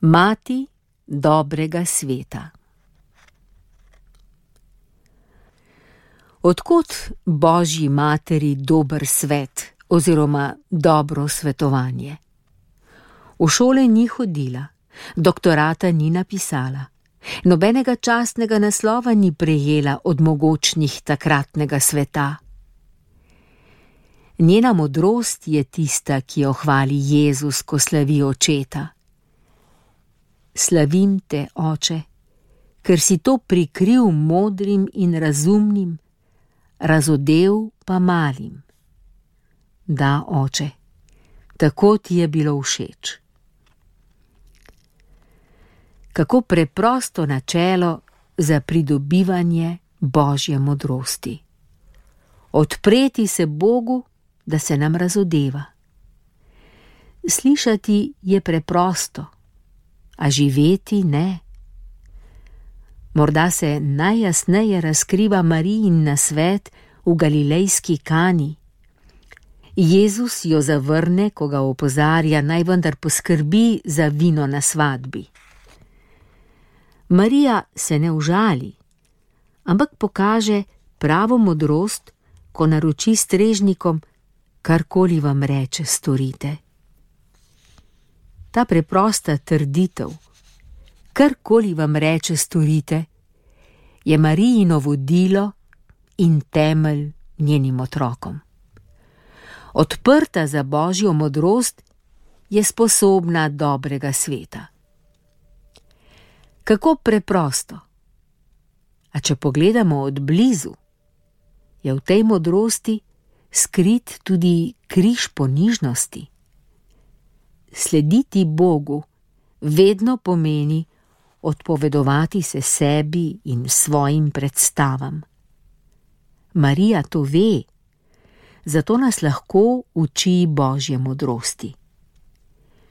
Mati dobrega sveta. Odkot Božji materi dober svet oziroma dobro svetovanje? V šole ni hodila, doktorata ni napisala, nobenega častnega naslova ni prejela od mogočnih takratnega sveta. Njena modrost je tista, ki jo hvali Jezus, ko slavi očeta. Slavim te, oče, ker si to prikril modrim in razumnim, razodel pa malim. Da, oče, tako ti je bilo všeč. Kako preprosto načelo za pridobivanje Božje modrosti. Odpreti se Bogu, da se nam razodeva. Slišati je preprosto, a živeti ne. Morda se najjasneje razkriva Marijin nasvet v galilejski Kani. Jezus jo zavrne, ko ga opozarja, naj vendar poskrbi za vino na svadbi. Marija se ne užali, ampak pokaže pravo modrost, ko naroči strežnikom, karkoli vam reče, storite. Ta preprosta trditev, karkoli vam reče, storite, je Marijino vodilo in temelj njenim otrokom. Odprta za Božjo modrost je sposobna dobrega sveta. Kako preprosto. A če pogledamo od blizu, je v tej modrosti skrit tudi križ ponižnosti. Slediti Bogu vedno pomeni odpovedovati se sebi in svojim predstavam. Marija to ve, zato nas lahko uči Božje modrosti.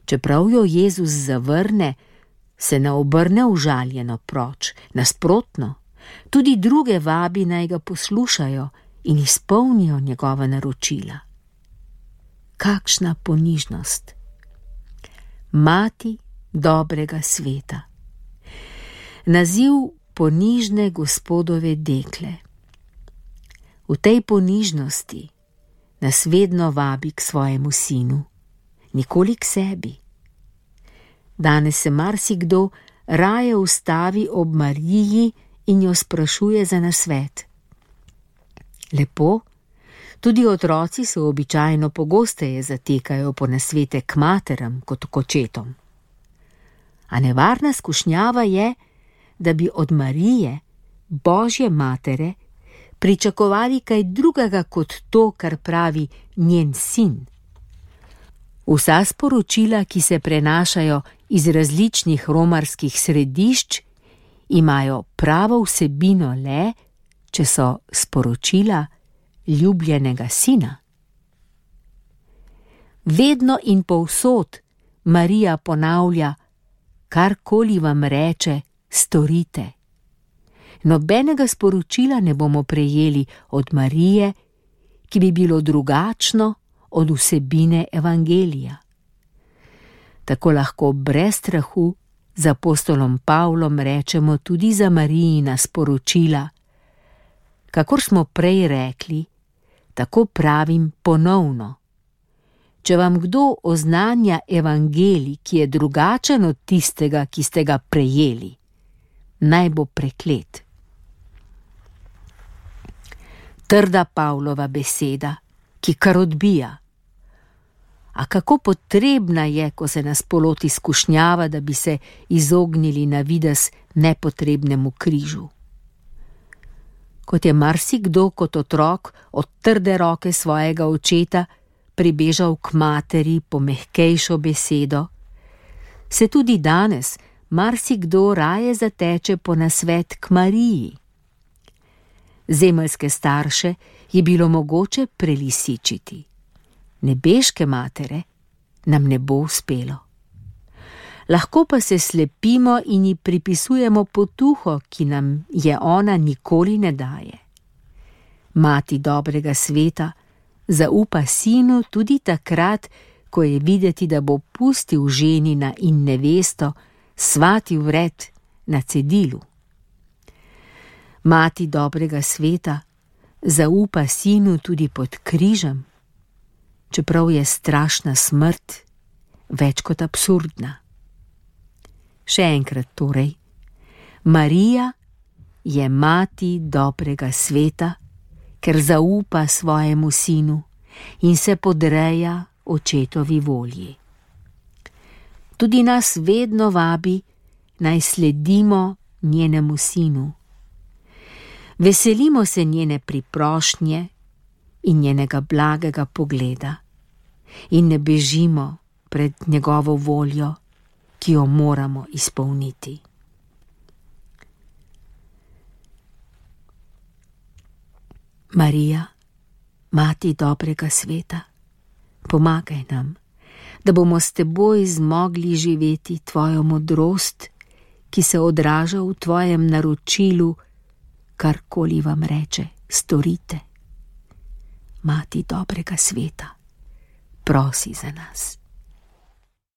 Čeprav jo Jezus zavrne, se ne obrne užaljeno proč, nasprotno, tudi druge vabi, naj ga poslušajo in izpolnijo njegova naročila. Kakšna ponižnost! Mati dobrega sveta. Naziv ponižne Gospodove dekle. V tej ponižnosti nas vedno vabi k svojemu sinu, nikoli k sebi. Danes se marsikdo raje ustavi ob Mariji in jo sprašuje za nasvet. Lepo, tudi otroci se običajno pogosteje zatekajo po nasvete k materam kot k očetom. A nevarna skušnjava je, da bi od Marije, Božje matere, pričakovali kaj drugega kot to, kar pravi njen sin. Vsa sporočila, ki se prenašajo iz različnih romarskih središč, imajo pravo vsebino le, če so sporočila ljubljenega sina. Vedno in povsod Marija ponavlja, karkoli vam reče, storite. Nobenega sporočila ne bomo prejeli od Marije, ki bi bilo drugačno od vsebine evangelija. Tako lahko brez strahu z apostolom Pavlom rečemo tudi za Marijina sporočila. Kakor smo prej rekli, tako pravim ponovno. Če vam kdo oznanja evangelij, ki je drugačen od tistega, ki ste ga prejeli, naj bo preklet. Trda Pavlova beseda, ki kar odbija. A kako potrebna je, ko se nas poloti skušnjava, da bi se izognili na videz nepotrebnemu križu. Kot je marsikdo kot otrok od trde roke svojega očeta pribežal k materi po mehkejšo besedo, se tudi danes marsikdo raje zateče po nasvet k Mariji. Zemeljske starše je bilo mogoče prelisičiti. Nebeške matere nam ne bo uspelo. Lahko pa se slepimo in ji pripisujemo potuho, ki nam je ona nikoli ne daje. Mati dobrega sveta zaupa sinu tudi takrat, ko je videti, da bo pustil ženina in nevesto svati vred na cedilu. Mati dobrega sveta zaupa sinu tudi pod križem, čeprav je strašna smrt več kot absurdna. Še enkrat torej, Marija je mati dobrega sveta, ker zaupa svojemu sinu in se podreja očetovi volji. Tudi nas vedno vabi, naj sledimo njenemu sinu. Veselimo se njene priprošnje in njenega blagega pogleda in ne bežimo pred njegovo voljo, ki jo moramo izpolniti. Marija, mati dobrega sveta, pomagaj nam, da bomo s teboj zmogli živeti tvojo modrost, ki se odraža v tvojem naročilu, karkoli vam reče, storite. Mati dobrega sveta, prosi za nas.